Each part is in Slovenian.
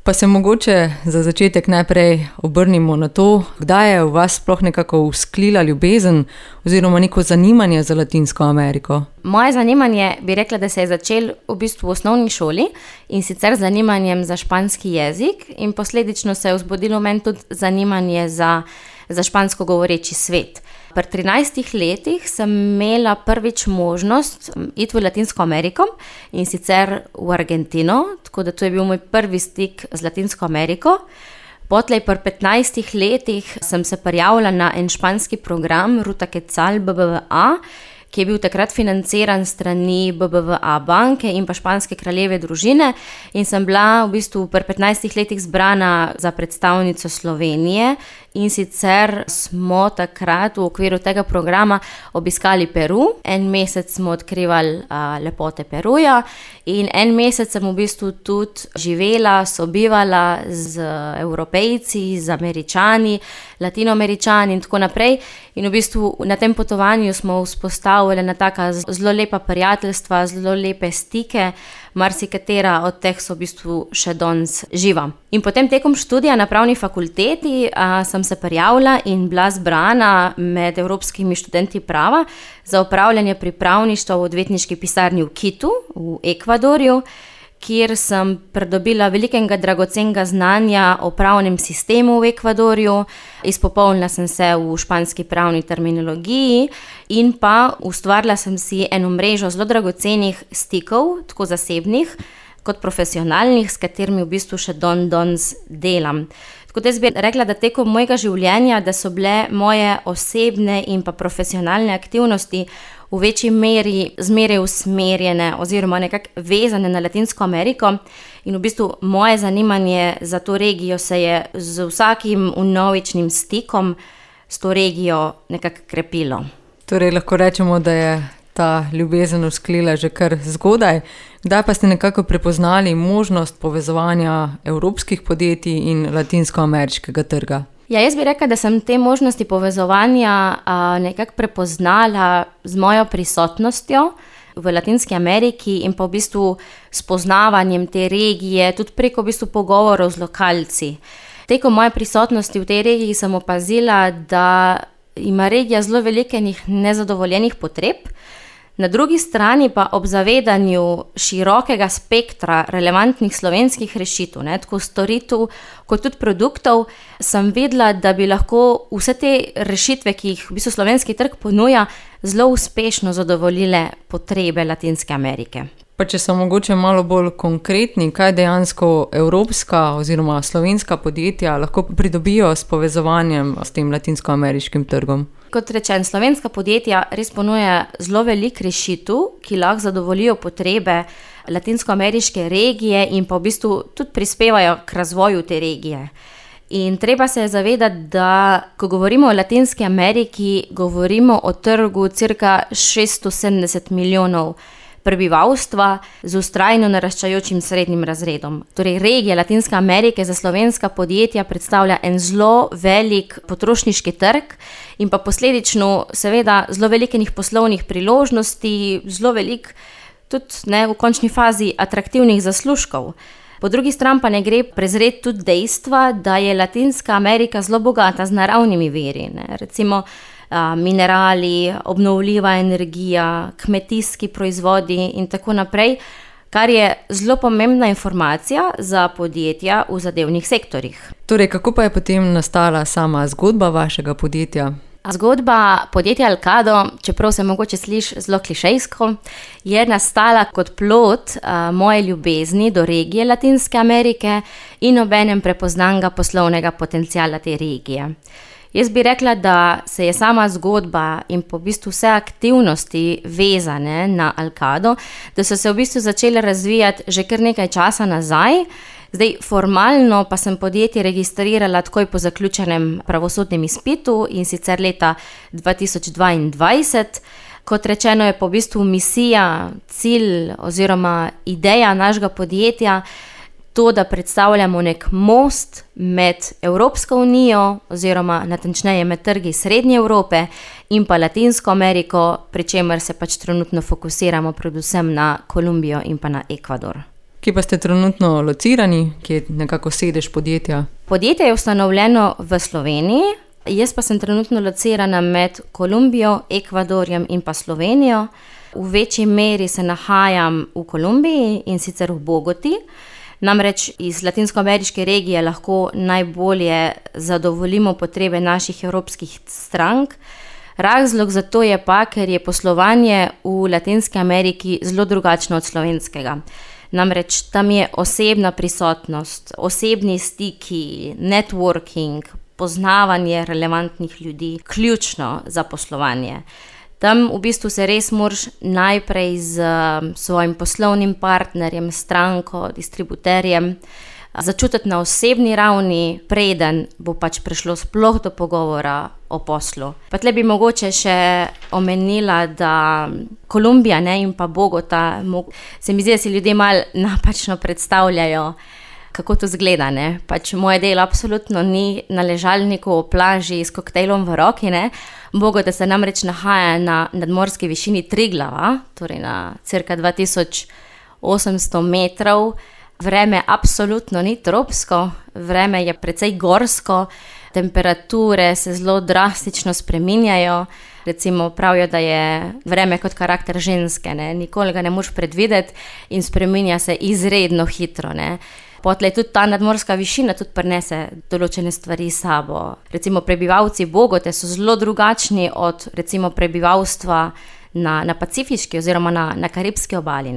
Pa se mogoče za začetek najprej obrnimo na to, kdaj je v vas sploh nekako vzklila ljubezen oziroma neko zanimanje za Latinsko Ameriko? Moje zanimanje bi rekla, da se je začelo v bistvu v osnovni šoli in sicer z zanimanjem za španski jezik in posledično se je vzbudilo meni tudi zanimanje za špansko govoreči svet. Pri 13 letih sem imela prvič možnost iti v Latinsko Ameriko in sicer v Argentino, tako da to je bil moj prvi stik z Latinsko Ameriko. Potlej pri 15 letih sem se prijavila na en španski program Ruta Quetzal BBVA, ki je bil takrat financiran strani BBVA banke in pa španske kraljeve družine in sem bila v bistvu pri 15 letih zbrana za predstavnico Slovenije in sicer smo takrat v okviru tega programa obiskali Peru. En mesec smo odkrivali lepote Peruja in en mesec sem v bistvu tudi živela, sobivala z Evropejci, z Američani, Latinoameričani in tako naprej. In v bistvu na tem potovanju smo vzpostavili na taka zelo lepa prijateljstva, zelo lepe stike, marsikatera od teh so v bistvu še danes živa. In potem tekom študija na pravni fakulteti sem se prijavila in bila zbrana med evropskimi študenti prava za opravljanje pripravništva v odvetniški pisarni v Kitu v Ekvadorju, kjer sem pridobila velikega dragocenega znanja o pravnem sistemu v Ekvadorju, izpopolnila sem se v španski pravni terminologiji in pa ustvarila sem si eno mrežo zelo dragocenih stikov, tako zasebnih kot profesionalnih, s katerimi v bistvu še danes delam. Tako da jaz bi rekla, da tekom mojega življenja, da so bile moje osebne in pa profesionalne aktivnosti v večji meri zmeraj usmerjene oziroma nekako vezane na Latinsko Ameriko in v bistvu moje zanimanje za to regijo se je z vsakim vnovičnim stikom s to regijo nekako krepilo. Torej lahko rečemo, da je ta ljubezen vzklila že kar zgodaj. Kdaj pa ste nekako prepoznali možnost povezovanja evropskih podjetij in latinskoameriškega trga? Ja, jaz bi rekla, da sem te možnosti povezovanja nekako prepoznala z mojo prisotnostjo v Latinski Ameriki in pa v bistvu spoznavanjem te regije, tudi preko v bistvu pogovorov z lokalci. Tekom moje prisotnosti v tej regiji sem opazila, da ima regija zelo velikih nezadovoljenih potreb, na drugi strani pa ob zavedanju širokega spektra relevantnih slovenskih rešitev, tako storitev kot tudi produktov, sem videla, da bi lahko vse te rešitve, ki jih v bistvu slovenski trg ponuja, zelo uspešno zadovoljile potrebe Latinske Amerike. Pa če so mogoče malo bolj konkretni, kaj dejansko evropska oziroma slovenska podjetja lahko pridobijo s povezovanjem s tem latinskoameriškim trgom? Kot rečen, slovenska podjetja res ponuja zelo veliko rešitev, ki lahko zadovoljijo potrebe latinskoameriške regije in pa v bistvu tudi prispevajo k razvoju te regije. In treba se je zavedati, da ko govorimo o Latinski Ameriki, govorimo o trgu cirka 670 milijonov prebivalstva z vztrajno naraščajočim srednjim razredom. Torej, regija Latinske Amerike za slovenska podjetja predstavlja en zelo velik potrošniški trg in pa posledično seveda zelo velikih poslovnih priložnosti, zelo velik tudi v končni fazi atraktivnih zaslužkov. Po drugi strani pa ne gre prezreti tudi dejstva, da je Latinska Amerika zelo bogata z naravnimi viri, recimo minerali, obnovljiva energija, kmetijski proizvodi in tako naprej, kar je zelo pomembna informacija za podjetja v zadevnih sektorjih. Torej, kako pa je potem nastala sama zgodba vašega podjetja? Zgodba podjetja Alcado, čeprav se mogoče sliši zelo klišejsko, je nastala kot plod moje ljubezni do regije Latinske Amerike in obenem prepoznanega poslovnega potenciala te regije. Jaz bi rekla, da se je sama zgodba in po bistvu vse aktivnosti vezane na Alcado, da so se v bistvu začele razvijati že kar nekaj časa nazaj. Zdaj, formalno pa sem podjetje registrirala takoj po zaključenem pravosodnem izpitu in sicer leta 2022. Kot rečeno je po bistvu misija, cilj oziroma ideja našega podjetja to, da predstavljamo nek most med Evropsko unijo oziroma natančneje med trgi Srednje Evrope in pa Latinsko Ameriko, pri čemer se pač trenutno fokusiramo predvsem na Kolumbijo in pa na Ekvador. Kje pa ste trenutno locirani, kje je nekako sedež podjetja? Podjetje je ustanovljeno v Sloveniji, jaz pa sem trenutno locirana med Kolumbijo, Ekvadorjem in pa Slovenijo. V večji meri se nahajam v Kolumbiji in sicer v Bogoti. Namreč iz latinskoameriške regije lahko najbolje zadovoljimo potrebe naših evropskih strank. Razlog za to je pa, ker je poslovanje v Latinski Ameriki zelo drugačno od slovenskega. Namreč tam je osebna prisotnost, osebni stiki, networking, poznavanje relevantnih ljudi ključno za poslovanje. Tam v bistvu se res moraš najprej z svojim poslovnim partnerjem, stranko, distributerjem začutiti na osebni ravni, preden bo pač prišlo sploh do pogovora o poslu. Pa tle bi mogoče še omenila, da Kolumbija in pa Bogota, se mi zdi, da si ljudje malo napačno predstavljajo, kako to zgleda. Pač moje delo absolutno ni na ležalniku o plaži s koktejlom v roki. Bogota se namreč nahaja na nadmorski višini Triglava, torej na cirka 2800 metrov. Vreme absolutno ni tropsko, vreme je precej gorsko, temperature se zelo drastično spreminjajo. Recimo pravijo, da je vreme kot karakter ženske, nikoli ga ne moreš predvideti in spreminja se izredno hitro. Potlej tudi ta nadmorska višina tudi prinese določene stvari s sabo. Recimo prebivalci Bogote so zelo drugačni od recimo prebivalstva na Pacifiški oziroma na Karibski obali,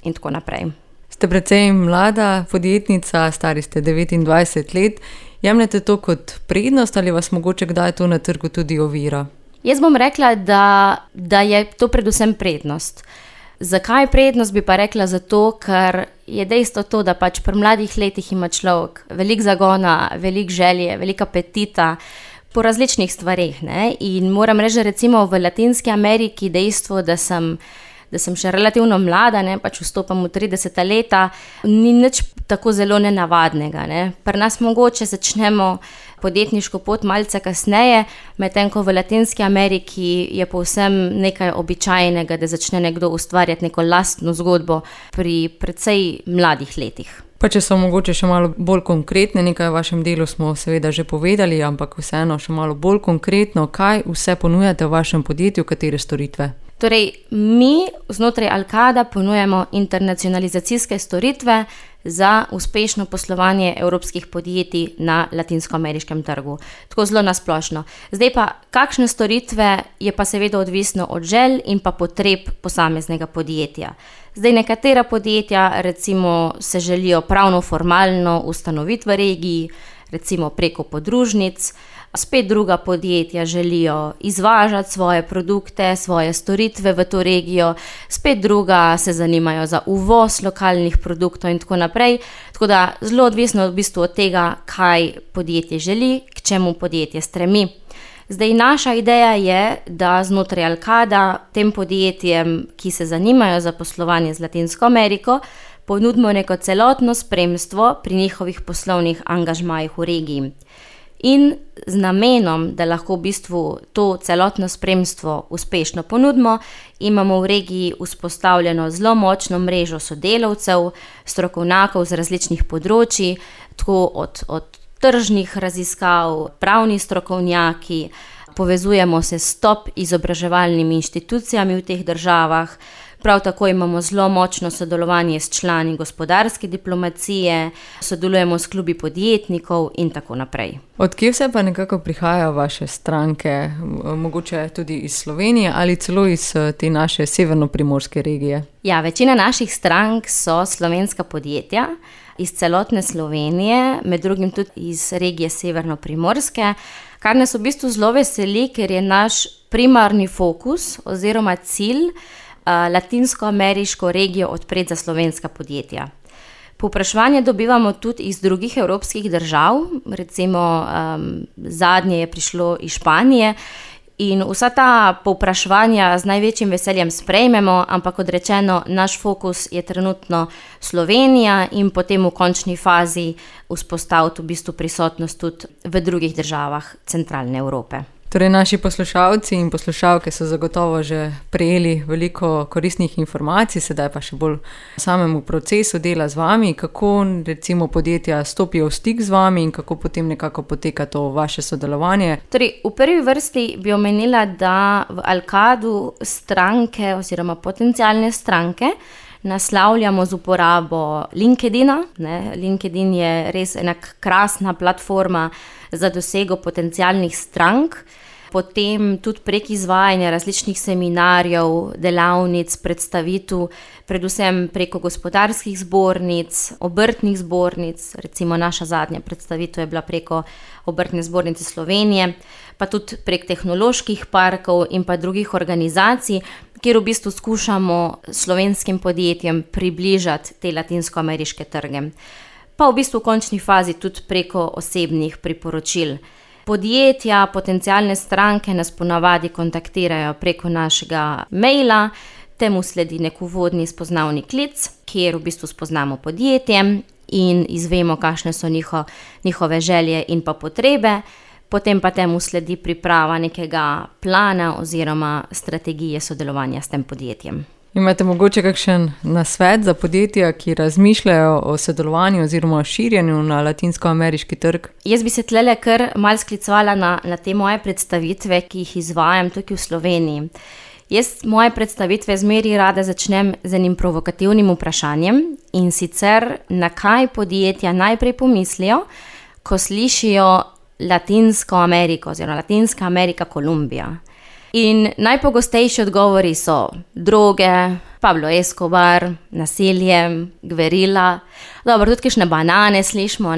in tako naprej. Ste precej mlada podjetnica, stari ste 29 let. Jemljete to kot prednost ali vas mogoče kdaj to na trgu tudi ovira? Jaz bom rekla, da je to predvsem prednost. Zakaj prednost, bi pa rekla zato, ker je dejstvo to, da pač pri mladih letih ima človek veliko zagona, veliko želje, veliko apetita po različnih stvareh. In moram reči, recimo v Latinski Ameriki dejstvo, da sem še relativno mlada, pač vstopam v 30 leta, ni nič tako zelo nenavadnega. Pri nas mogoče začnemo podjetniško pot malce kasneje, medtem ko v Latinski Ameriki je povsem nekaj običajnega, da začne nekdo ustvarjati neko lastno zgodbo pri precej mladih letih. Pa če so mogoče še malo bolj konkretne, nekaj o vašem delu smo seveda že povedali, ampak vseeno še malo bolj konkretno, kaj vse ponujate v vašem podjetju, katere storitve? Torej, mi znotraj Alcada ponujamo internacionalizacijske storitve za uspešno poslovanje evropskih podjetij na latinskoameriškem trgu. Tako zelo nasplošno. Zdaj pa, kakšne storitve je pa seveda odvisno od želj in pa potreb posameznega podjetja. Zdaj nekatera podjetja recimo se želijo pravno formalno ustanoviti v regiji, recimo preko podružnic, spet druga podjetja želijo izvažati svoje produkte, svoje storitve v to regijo, spet druga se zanimajo za uvoz lokalnih produktov in tako naprej. Tako da zelo odvisno v bistvu od tega, kaj podjetje želi, k čemu podjetje stremi. Zdaj, naša ideja je, da znotraj Alcada tem podjetjem, ki se zanimajo za poslovanje z Latinsko Ameriko, ponudimo neko celotno spremstvo pri njihovih poslovnih angažmajih v regiji. In z namenom, da lahko v bistvu to celotno spremstvo uspešno ponudimo, imamo v regiji vzpostavljeno zelo močno mrežo sodelavcev, strokovnjakov z različnih področij, tako od tržnih raziskav, pravni strokovnjaki, povezujemo se s top izobraževalnimi inštitucijami v teh državah. Prav tako imamo zelo močno sodelovanje s člani gospodarske diplomacije, sodelujemo s klubi podjetnikov in tako naprej. Od kje vse pa nekako prihajajo vaše stranke, mogoče tudi iz Slovenije ali celo iz te naše severnoprimorske regije? Ja, večina naših strank so slovenska podjetja iz celotne Slovenije, med drugim tudi iz regije severnoprimorske, kar nas v bistvu zelo veseli, ker je naš primarni fokus oziroma cilj latinskoameriško regijo odpreti za slovenska podjetja. Povpraševanje dobivamo tudi iz drugih evropskih držav, recimo zadnje je prišlo iz Španije in vsa ta povpraševanja z največjim veseljem sprejmemo, ampak kot rečeno, naš fokus je trenutno Slovenija in potem v končni fazi vzpostaviti v bistvu prisotnost tudi v drugih državah centralne Evrope. Torej, naši poslušalci in poslušalke so zagotovo že prejeli veliko koristnih informacij, sedaj pa še bolj samemu procesu dela z vami, kako recimo podjetja stopijo v stik z vami in kako potem nekako poteka to vaše sodelovanje. Torej, v prvi vrsti bi omenila, da v Alkadu stranke oziroma potencialne stranke naslavljamo z uporabo LinkedIna. LinkedIn je res ena krasna platforma za dosego potencialnih strank, potem tudi prek izvajanja različnih seminarjev, delavnic, predstavitev, predvsem preko gospodarskih zbornic, obrtnih zbornic, recimo naša zadnja predstavitev je bila preko Obrtne zbornice Slovenije, pa tudi prek tehnoloških parkov in pa drugih organizacij, kjer v bistvu skušamo slovenskim podjetjem približati te latinskoameriške trge. Pa v bistvu v končni fazi tudi preko osebnih priporočil. Podjetja, potencialne stranke nas ponavadi kontaktirajo preko našega maila, temu sledi nek uvodni spoznavni klic, kjer v bistvu spoznamo podjetje in izvemo, kakšne so njihove želje in pa potrebe, potem pa temu sledi priprava nekega plana oziroma strategije sodelovanja s tem podjetjem. Imate mogoče kakšen nasvet za podjetja, ki razmišljajo o sodelovanju oziroma o širjenju na latinskoameriški trg? Jaz bi se tlele kar malo sklicevala na te moje predstavitve, ki jih izvajam tukaj v Sloveniji. Jaz moje predstavitve zmeraj rada začnem z enim provokativnim vprašanjem, in sicer na kaj podjetja najprej pomislijo, ko slišijo Latinsko Ameriko oziroma Latinska Amerika, Kolumbija. In najpogostejši odgovori so droge, Pablo Escobar, nasilje, gverila, dobro, tudi kakšne banane slišimo,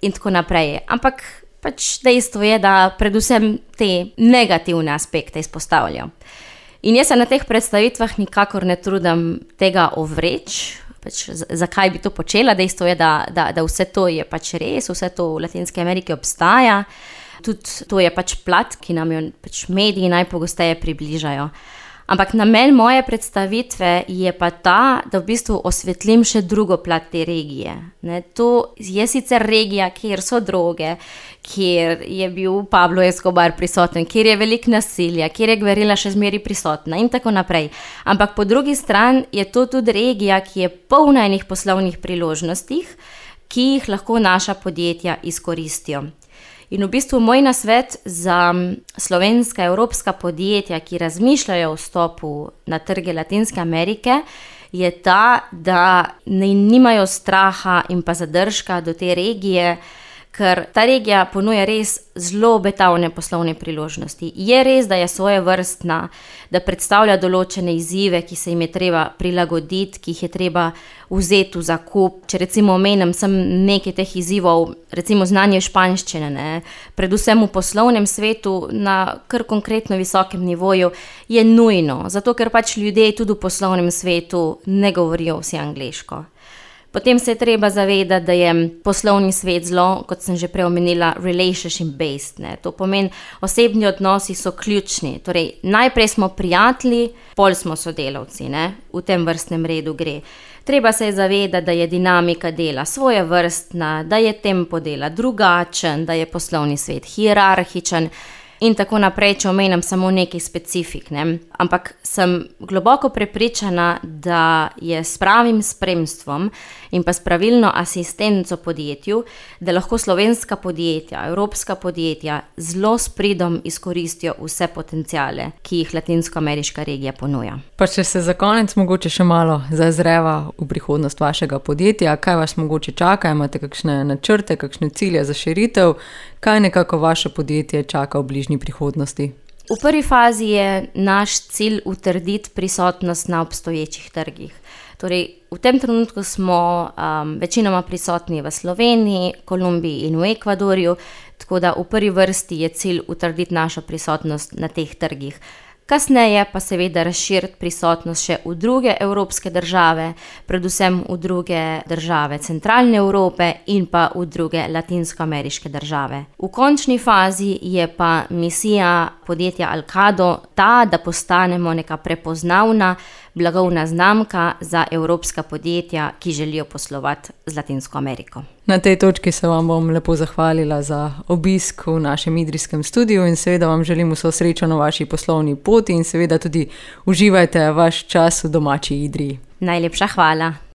in tako naprej. Ampak pač dejstvo je, da predvsem te negativne aspekte izpostavljajo. In jaz se na teh predstavitvah nikakor ne trudim tega ovreči, pač zakaj bi to počela. Dejstvo je, da vse to je pač res, vse to v Latinski Ameriki obstaja. Tudi to je pač plat, ki nam jo pač mediji najpogosteje približajo. Ampak namen moje predstavitve je pa ta, da v bistvu osvetlim še drugo plat te regije. To je sicer regija, kjer so droge, kjer je bil Pablo Escobar prisoten, kjer je veliko nasilja, kjer je gverila še zmeraj prisotna in tako naprej. Ampak po drugi strani je to tudi regija, ki je polna enih poslovnih priložnostih, ki jih lahko naša podjetja izkoristijo. In v bistvu moj nasvet za slovenska, evropska podjetja, ki razmišljajo o vstopu na trge Latinske Amerike, je ta, da nimajo straha in pa zadržka do te regije, ker ta regija ponuja res zelo obetavne poslovne priložnosti. Je res, da je svojevrstna, da predstavlja določene izzive, ki se jim je treba prilagoditi, ki jih je treba vzeti v zakup. Če recimo omenim sem nekaj teh izzivov, recimo znanje španščine, predvsem v poslovnem svetu na kar konkretno visokem nivoju, je nujno, zato ker pač ljudje tudi v poslovnem svetu ne govorijo vsi angleško. Potem se je treba zavedati, da je poslovni svet zelo, kot sem že prej omenila, relationship based. To pomeni, osebni odnosi so ključni. Torej, najprej smo prijatelji, pol smo sodelavci, v tem vrstnem redu gre. Treba se je zavedati, da je dinamika dela svojevrstna, da je tempo dela drugačen, da je poslovni svet hierarhičen in tako naprej, če omenim samo nekaj specifik. Ampak sem globoko prepričana, da je s pravim spremstvom in pa s pravilno asistenco podjetju, da lahko slovenska podjetja, evropska podjetja zelo s pridom izkoristijo vse potenciale, ki jih latinskoameriška regija ponuja. Pa če se za konec mogoče še malo zazreva v prihodnost vašega podjetja, kaj vas mogoče čaka, imate kakšne načrte, kakšne cilje za širitev, kaj nekako vaše podjetje čaka v bližnji prihodnosti? V prvi fazi je naš cilj utrditi prisotnost na obstoječih trgih. Torej, v tem trenutku smo večinoma prisotni v Sloveniji, Kolumbiji in v Ekvadorju, tako da v prvi vrsti je cilj utrditi našo prisotnost na teh trgih. Kasneje pa seveda razširiti prisotnost še v druge evropske države, predvsem v druge države centralne Evrope in pa v druge latinskoameriške države. V končni fazi je pa misija podjetja Alkado ta, da postanemo neka prepoznavna blagovna znamka za evropska podjetja, ki želijo poslovati z Latinsko Ameriko. Na tej točki se vam bom lepo zahvalila za obisk v našem idrijskem studiu in seveda vam želim vso srečo na vaši poslovni poti in seveda tudi uživajte vaš čas v domači Idriji. Najlepša hvala.